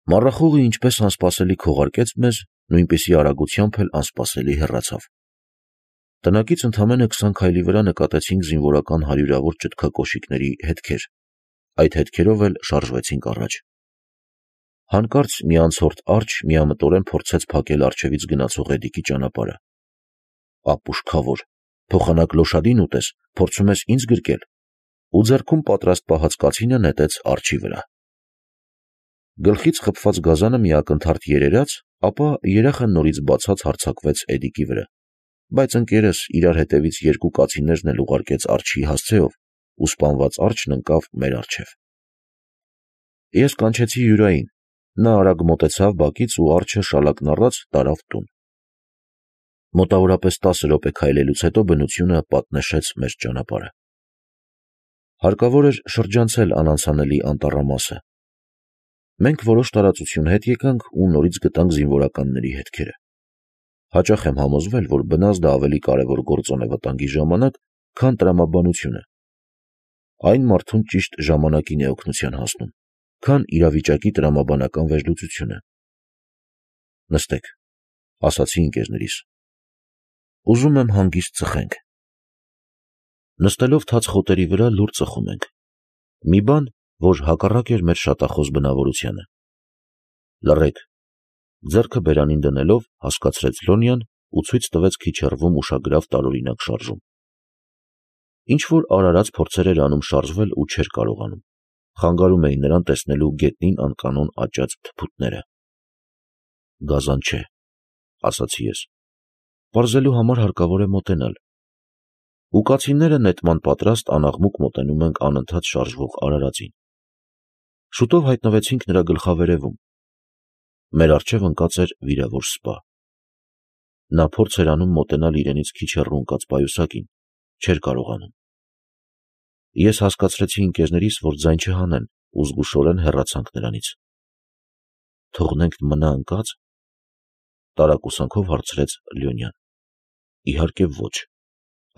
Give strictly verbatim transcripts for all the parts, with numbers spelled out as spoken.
Մառախուղը ինչպես անսպասելի քողարկեց մեզ, նույնպիսի արագությամբ էլ անսպասելի հեռացավ։ Տնակից ընդամենը քսան քայլի վրա նկատեցինք զինվորական հարյուրավոր ճտկակոշիկների հետքեր, այդ հետքերով էլ շարժվեցինք առաջ։ Հանկարծ մի անցորդ արջը միամտորեն փորձեց փակել առջևից գնացող էդիկի ճանապարհը։ Ապուշքավոր, փոխանակ լոշադին ուտես, փորձում ես ինձ գրկել, ու ձեռքում պատրաստ պահած կացինը նետեց արջի վրա։ Գլխից խփված գազանը մի ակնթարթ երերաց, ապա երախը նորից բացած հարձակվեց էդիկի վրա, բայց ընկերս իրար հետևից երկու կացիններն էլ ուղարկեց արջի հասցեով, ու սպանված արջն ընկավ մեր առջև։ Ես կանչեցի Յուրային, նա արագ մոտեցավ բակից ու արջը շալակն առած տարավ տուն։ Մոտավորապես տասը րոպե քայլելուց հետո բնությունը պատնեշեց մեր ճանապարհը։ Հարկավոր էր շրջանցել անանցանելի անտառամասը։ Մենք որոշ տարածություն հետ եկանք ու նորից գտանք զինվորականների հետքերը։ Հաճախ եմ համոզվել, որ բնազդը ավելի կարևոր գործոն է վտանգի ժամանակ, քան տրամաբանությունը։ Այն մարդուն ճիշտ ժամանակին է օգնության հասնում, քան իրավիճակի տրամաբանական վերլուծությունը։ Նստեք, ասացի ընկերներիս։ Ուզում եմ հանգիստ ծխենք։ Նստելով թաց խոտերի վրա լուռ ծխում ենք։ Մի բան, որ հակառակ էր մեր շատախոս բնավորությանը։ Լռեք, ձեռքը բերանին դնելով հասկացրեց Լոնյան ու ցույց տվեց քիչ հեռվում ուշագրավ տարօրինակ շարժում։ Ինչ-որ արարած փորձեր էր անում շարժվել ու չէր կարողանում։ Խանգարում էին նրան տեսնելու գետնին անկանոն աճած թփուտները։ Գազան չէ, ասացի ես։ Պարզելու համար հարկավոր է մոտենալ։ Ու կացինները նետման պատրաստ անաղմուկ մոտենում ենք անընդհատ շարժվող արարածին։ Շուտով հայտնվեցինք նրա գլխավերևում։ Մեր առջև ընկած էր վիրավոր սպա։ Նա փորձ էր անում մոտենալ իրենից քիչ հեռու ընկած պայուսակին, չէր կարողանում։ Ես հասկացրեցի ընկերներիս, որ ձայն չհանեն, ու զգուշորեն հեռացանք նրանից։ Թողնենք մնա ընկած, տարակուսանքով հարցրեց Լյոնյան։ Իհարկե ոչ,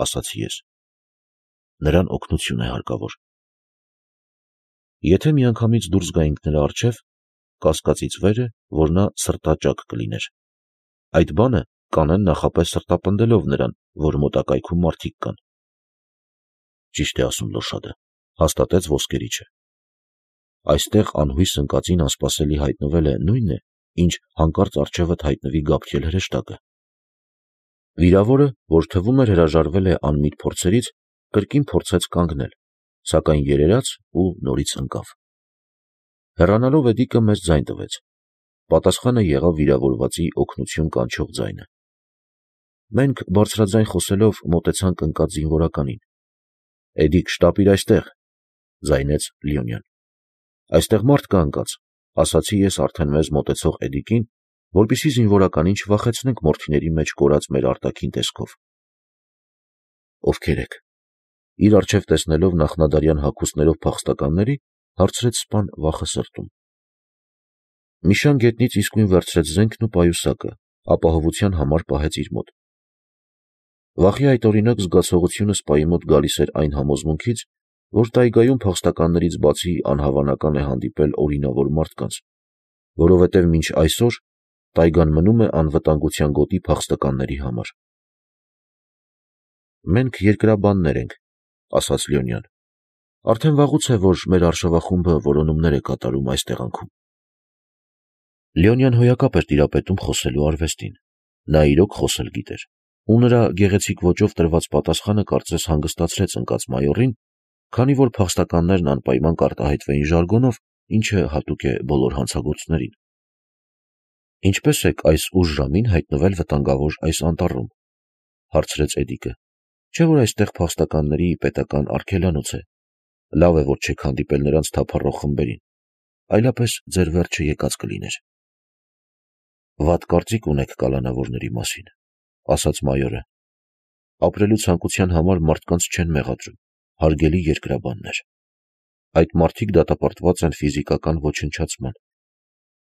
ասացի ես։ Նրան օգնություն է հարկավոր։ Եթե միանգամից դուրս գայինք նրա առջև, կասկածից վեր է, որ նա սրտաճակ կլիներ։ Այդ բանը կանեն նախապես սրտապնդելով նրան, որ մոտակայքում մարդիկ կան։ Ճիշտ է ասում լոշադը, հաստատեց ոսկերիչը։ Այստեղ անհույս ընկածին անսպասելի հայտնվել է նույնն է, ինչ հանկարծ առջևդ հայտնվի Գաբրիել հրեշտակը։ Վիրավորը, որ թվում էր հրաժարվել է անմիտ փորձերից, կրկին փորձեց կանգնել, սակայն երերաց ու նորից ընկավ։ Հեռանալով էդիկը մեզ ձայն տվեց։ Պատասխանը եղավ վիրավորվածի օգնություն կանչող ձայնը։ Մենք բարձրաձայն խոսելով մոտեցանք ընկած զինվորականին։ Էդիկ, շտապիր այստեղ, ձայնեց Լյոնյան։ Այստեղ մարդ կա ընկած, ասացի ես արդեն մեզ մոտեցող էդիկին, որպեսզի զինվորականին չվախեցնենք մորթիների մեջ կորած մեր արտաքին տեսքով։ Ովքեր եք։ Իր առջև տեսնելով նախնադարյան հագուստներով փախստականների, հարցրեց սպան վախը սրտում։ Միշան գետնից իսկույն վերցրեց զենքն ու պայուսակը, ապահովության համար պահեց իր մոտ։ Վախի այդօրինակ զգացողությունը սպայի մոտ գալիս էր այն համոզմունքից, որ տայգայում փախստականներից բացի անհավանական է հանդիպել օրինավոր մարդկանց, որովհետև մինչ այսօր տայգան մնում է անվտանգության գոտի փախստականների համար։ Մենք երկրաբաններ ենք, ասաց Լյոնյան։ Արդեն վաղուց է, որ մեր արշավախումբը որոնումներ է կատարում այս տեղանքում։ Լյոնյան հոյակապ էր տիրապետում խոսելու արվեստին։ Նա իրոք խոսել գիտեր, ու նրա գեղեցիկ ոճով տրված պատասխանը կարծես հանգստացրեց ընկած մայորին, քանի որ փախստականներն անպայման կարտահայտվեին ժարգոնով, ինչը հատուկ է բոլոր հանցագործներին։ Ինչպե՞ս եք այս ուշ ժամին հայտնվել վտանգավոր այս անտառում, հարցրեց էդիկը։ Չէ՞ որ այստեղ փախստականների պետական արգելանոց է։ Լավ է, որ չեք հանդիպել նրանց թափառող խմբերին, այլապես ձեր վերջը եկած կլիներ։ Վատ կարծիք ունեք կալանավորների մասին, ասաց մայորը։ Ապրելու ցանկության համար մարդկանց չեն մեղադրում, հարգելի երկրաբաններ։ Այդ մարդիկ դատապարտված են ֆիզիկական ոչնչացման։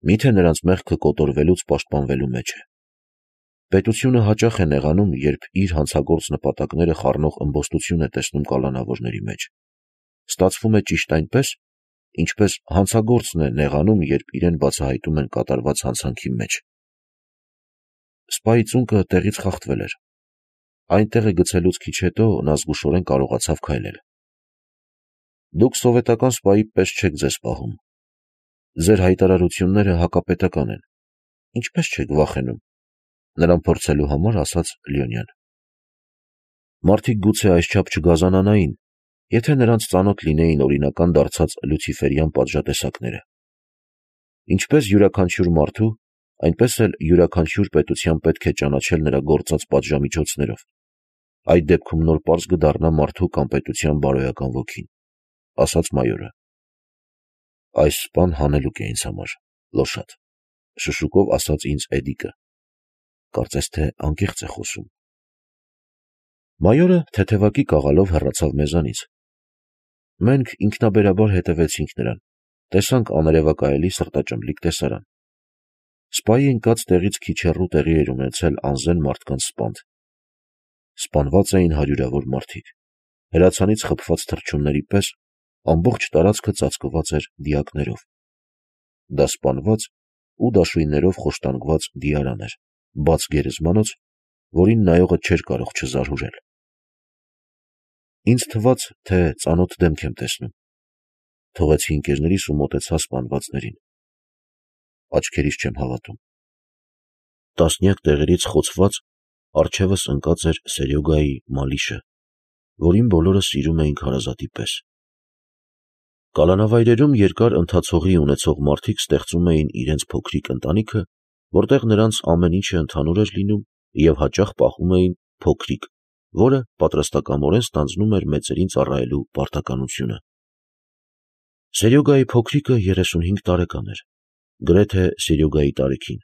Միթե նրանց մեղքը կոտորվելուց պաշտպանվելու մեջ է։ Պետությունը հաճախ է նեղանում, երբ իր հանցագործ նպատակները խառնող ըմբոստություն է տեսնում կալանավորների մեջ։ Ստացվում է ճիշտ այնպես, ինչպես հանցագործն է նեղանում, երբ իրեն բացահայտում են կատարված հանցանքի մեջ։ Սպայի ծունկը տեղից խախտվել էր։ Այնտեղ է գցելուց քիչ հետո նա զգուշորեն կարողացավ քայլել։ Դուք սովետական սպայի պես չեք ձեզ պահում։ Ձեր հայտարարությունները հակապետական են։ Ինչպես չեք վախենում, նրան փորձելու համար ասաց Լյոնյան։ Մարդիկ գուցե այսչափ չգազանանային, եթե նրանց ծանոթ լինեին օրինական դարձած լյուցիֆերյան պատժատեսակները։ Ինչպես յուրաքանչյուր մարդու, այնպես էլ յուրաքանչյուր պետության պետք է ճանաչել նրա գործած պատժամիջոցներով։ Այդ դեպքում նոր պարզ կդառնա մարդու կամ պետության բարոյական ոգին, ասաց մայորը։ Այս սպան հանելուկ է ինձ համար, լոշատ, շշուկով ասաց ինձ Էդիկը։ Կարծես թե անկեղծ է խոսում։ Մայորը թեթևակի կաղալով հեռացավ մեզանից։ Մենք ինքնաբերաբար հետևեցինք նրան, տեսանք աներևակայելի սրտաճմլիկ տեսարան։ Սպայի ընկած տեղից քիչ հեռու տեղի էր ունեցել անզեն մարդկանց սպանդ։ Սպանված էին հարյուրավոր մարդիկ։ Հրացանից խփված թռչունների պես ամբողջ տարածքը ծածկված էր դիակներով։ Դա սպանված ու դաշույններով խոշտանգված դիարան էր, բաց գերեզմանոց, որին նայողը չէր կարող չզարհուրել։ Ինձ թվաց, թե ծանոթ դեմք եմ տեսնում։ Թողեցի ընկերներիս ու մոտեցա սպանվածներին։ Աչքերիս չեմ հավատում։ Տասնյակ տեղերից խոցված առջևս ընկած էր Սերյոգայի մալիշը, որին բոլորը սիրում էինք հարազատի պես։ Կալանավայրերում երկար ընթացողի ունեցող մարդիկ ստեղծում էին իրենց փոքրիկ ընտանիքը, որտեղ նրանց ամեն ինչը ընդհանուր էր լինում և հաճախ պահում էին փոքրիկ, որը պատրաստակամորեն ստանձնում էր մեծերին ծառայելու պարտականությունը։ Սերյոգայի փոքրիկը երեսունհինգ տարեկան էր, գրեթե Սերյոգայի տարիքին։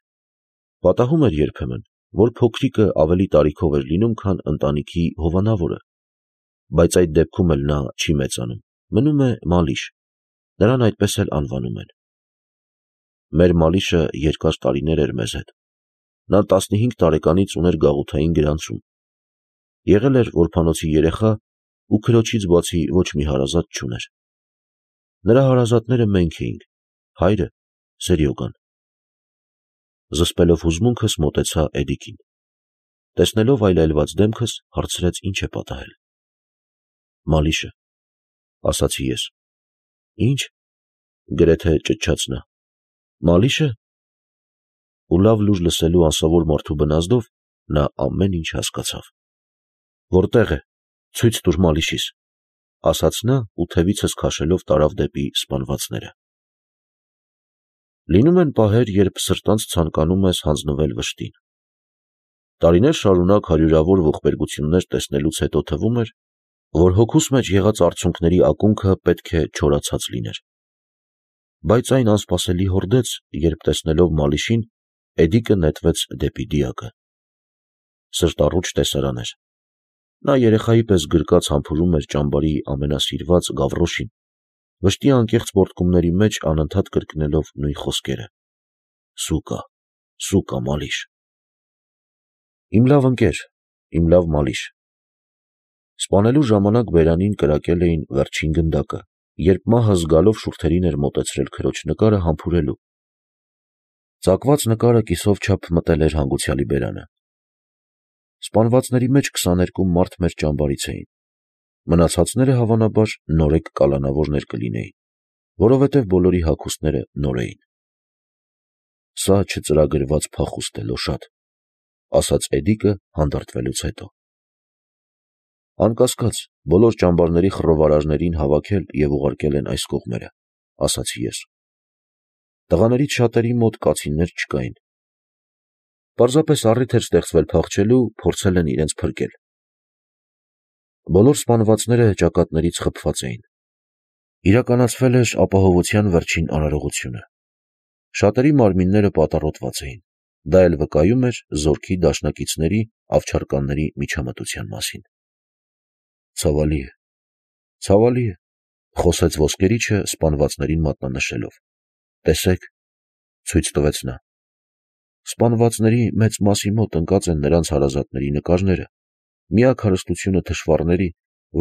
Պատահում էր երբեմն, որ փոքրիկը ավելի տարիքով էր լինում, քան ընտանիքի հովանավորը, բայց այդ դեպքում էլ նա չի մեծանում, մնում է մալիշ, նրան այդպես էլ անվանում են։ Մեր մալիշը երկար տարիներ էր մեզ հետ։ Նա տասնհինգ տարեկանից ուներ գաղութային գրանցում։ Եղել էր որբանոցի երեխա ու քրոջից բացի ոչ մի հարազատ չուներ։ Նրա հարազատները մենք էինք, հայրը, Սերյոգան։ Զսպելով հուզմունքս մոտեցա Էդիկին։ Տեսնելով այլայլված դեմքս, հարցրեց ինչ է պատահել։ Մալիշը, ասացի ես։ Ինչ, գրեթե ճչաց նա։ Մալիշը։ Ու լավ լուր լսելու անսովոր մարդու բնազդով նա ամեն ինչ հասկացավ։ Որտեղ է, ցույց տուր մալիշիս, ասաց նա ու թևիցս քաշելով տարավ դեպի սպանվածները։ Լինում են պահեր, երբ սրտանց ցանկանում ես հանձնվել վշտին։ Տարիներ շարունակ հարյուրավոր ողբերգություններ տեսնելուց հետո թվում էր, որ հոգուս մեջ եղած արցունքների ակունքը պետք է չորացած լիներ։ Բայց այն անսպասելի հորդեց, երբ տեսնելով մալիշին, Էդիկը նետվեց դեպի դիակը։ Սրտառուչ տեսարան էր։ Նա երեխայի պես գրկած համբուրում էր ճամբարի ամենասիրված գավրոշին, վշտի անկեղծ պոռթկումների մեջ անընդհատ կրկնելով նույն խոսքերը. Սուկա, սուկա մալիշ։ Իմ լավ ընկեր, իմ լավ մալիշ։ Սպանելու ժամանակ բերանին կրակել էին վերջին գնդակը, երբ մահը զգալով շուրթերին էր մոտեցրել քրոջ նկարը համբուրելու։ Ծակված նկարը կիսով չափ մտել էր հանգուցյալի բերանը։ Սպանվածների մեջ քսաներկու մարդ մեր ճամբարից էին։ Մնացածները հավանաբար նորեկ կալանավորներ կլինեին, որովհետև բոլորի հագուստները նոր էին։ Սա չծրագրված փախուստ է, լոշատ, ասաց Էդիկը հանդարտվելուց հետո։ Անկասկած, բոլոր ճամբարների խռովարարներին հավաքել և ուղարկել են այս կողմերը, ասացի ես։ Տղաներից շատերի մոտ կացիններ չկային։ Պարզապես առիթ էր ստեղծվել փախչելու, փորձել են իրենց փրկել։ Բոլոր սպանվածները ճակատներից խփված էին։ Իրականացվել էր ապահովության վերջին արարողությունը։ Շատերի մարմինները պատառոտված էին։ Դա էլ վկայում էր զորքի դաշնակիցների, ավչարկանների միջամտության մասին։ Ցավալի է, ցավալի է, խոսեց ոսկերիչը սպանվածներին մատնանշելով։ Տեսեք, ցույց տվեց նա։ Սպանվածների մեծ մասի մոտ ընկած են նրանց հարազատների նկարները, միակ հարստությունը թշվառների,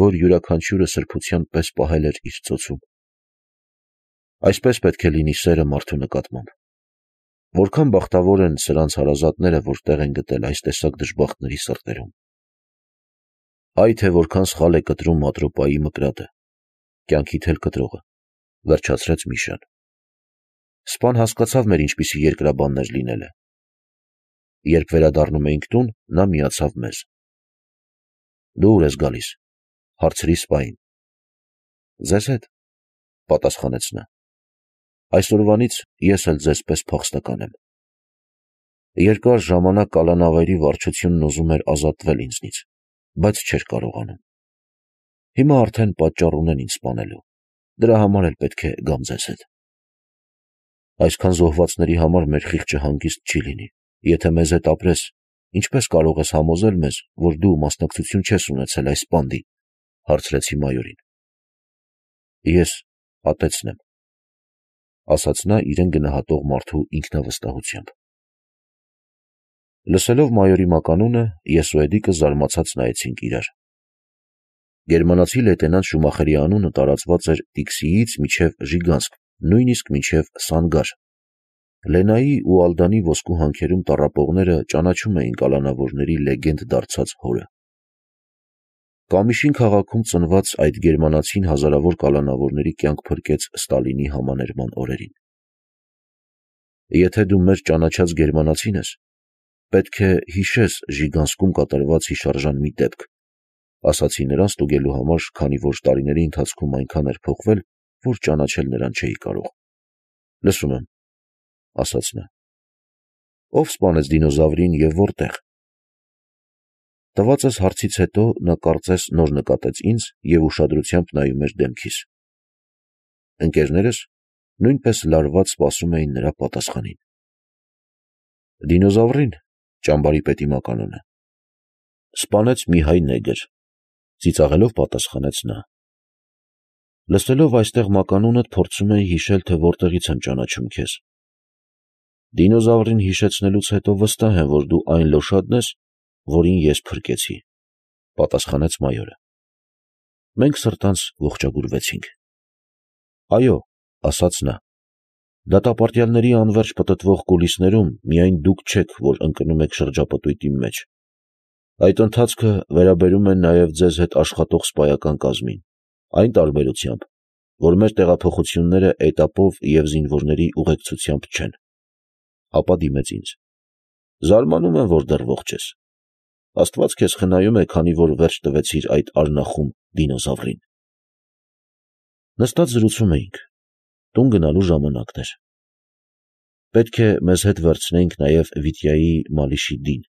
որ յուրաքանչյուրը սրբության պես պահել էր իր ծոցում։ Այսպես պետք է լինի սերը մարդու նկատմամբ։ Որքան բախտավոր են սրանց հարազատները, որ տեղ են գտել այս տեսակ դժբախտների սրտերում։ Այ թե որքան սխալ է կտրում Ատրոպայի մկրատը, կյանքիդ էլ կտրողը, վերջացրեց Միշան։ Սպան հասկացավ մեր ինչպիսի երկրաբաններ լինելը։ Երբ վերադառնում էինք տուն, նա միացավ մեզ։ Դու ուր ես գալիս, հարցրի սպային։ Ձեզ հետ, պատասխանեց նա։ Այսօրվանից ես էլ ձեզ պես փախստական եմ։ Երկար ժամանակ կալանավայրի վարչությունն ուզում էր ազատվել ինձնից, բայց չէր կարողանում։ Հիմա արդեն պատճառ ունեն ինձ սպանելու, դրա համար էլ պետք է գամ ձեզ հետ։ Այսքան զոհվածների համար մեր խիղճը հանգիստ չի լինի։ Եթե մեզ հետ ապրես, ինչպես կարող ես համոզել մեզ, որ դու մասնակցություն չես ունեցել այս բանդի, հարցրեցի մայորին։ Ես ատեցն եմ, ասաց նա իրեն գնահատող մարդու ինքնավստահությամբ։ Լսելով մայորի մականունը, ես ու Էդիկը զարմացած նայեցինք իրար։ Գերմանացի լեյտենանտ Շումախերի անունը տարածված էր Տիքսիից մինչև Ժիգանսկ, նույնիսկ մինչև Սանգար։ Լենայի ու Ալդանի ոսկու հանքերում տառապողները ճանաչում էին կալանավորների լեգենդ դարձած հորը։ Կամիշին քաղաքում ծնված այդ գերմանացին հազարավոր կալանավորների կյանք փրկեց Ստալինի համաներման օրերին։ Եթե դու մեր ճանաչած գերմանացին ես, պետք է հիշես Ժիգանսկում կատարված հիշարժան մի դեպք, ասացի նրան ստուգելու համար, քանի որ տարիների ընթացքում այնքան էր փոխվել, որ ճանաչել նրան չէի կարող։ Լսում եմ, ասաց նա։ Ով սպանեց դինոզավրին և որտեղ։ Տվածս հարցից հետո նա կարծես նոր նկատեց ինձ և ուշադրությամբ նայում էր դեմքիս։ Ընկերներս նույնպես լարված սպասում էին նրա պատասխանին։ Դինոզավրին, ճամբարի պետի մականունը, սպանեց մի հայ նեգր, ծիծաղելով պատասխանեց նա։ Լսելով այստեղ մականունդ փորձում էի հիշել, թե որտեղից եմ ճանաչում քեզ։ Դինոզավրին հիշեցնելուց հետո վստահ եմ, որ դու այն լոշադն ես, որին ես փրկեցի, պատասխանեց մայորը։ Մենք սրտանց ողջագուրվեցինք։ Այո, ասաց նա, դատապարտյալների անվերջ պտտվող կուլիսներում միայն դուք չեք, որ ընկնում եք շրջապտույտի մեջ։ Այդ ընթացքը վերաբերում է նաև ձեզ հետ աշխատող սպայական կազմին, այն տարբերությամբ, որ մեր տեղափոխությունները էտապով և զինվորների ուղեկցությամբ չեն։ Ապա դիմեց ինձ։ Զարմանում եմ, որ դեռ ողջ ես։ Աստված քեզ խնայում է, քանի որ վերջ տվեցիր այդ արնախում դինոզավրին։ Նստած զրուցում էինք։ Տուն գնալու ժամանակն էր։ Պետք է մեզ հետ վերցնեինք նաև Վիտյայի Մալիշի֊դին։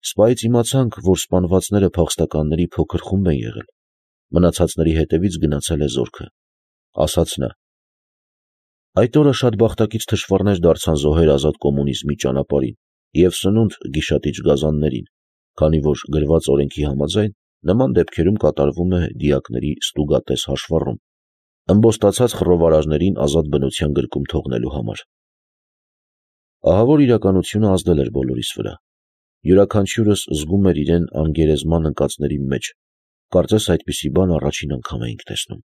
Սպայից իմացանք, որ սպանվածները փախստականների փոքր խումբ են եղել։ Մնացածների հետևից գնացել է զորքը, ասաց նա։ Այդ օրը շատ բախտակից թշվառներ դարձան զոհեր ազատ կոմունիզմի ճանապարհին և սնունդ գիշատիչ գազաններին, քանի որ գրված օրենքի համաձայն նման դեպքերում կատարվում է դիակների ստուգատես հաշվառում, ըմբոստացած խռովարարներին ազատ բնության գրկում թողնելու համար։ Ահավոր իրականությունը ազդել էր բոլորիս վրա։ Յուրաքանչյուրս զգում էր իրեն անգերեզման ընկածների մեջ, կարծես այդպիսի բան առաջին անգամ էինք տեսնում։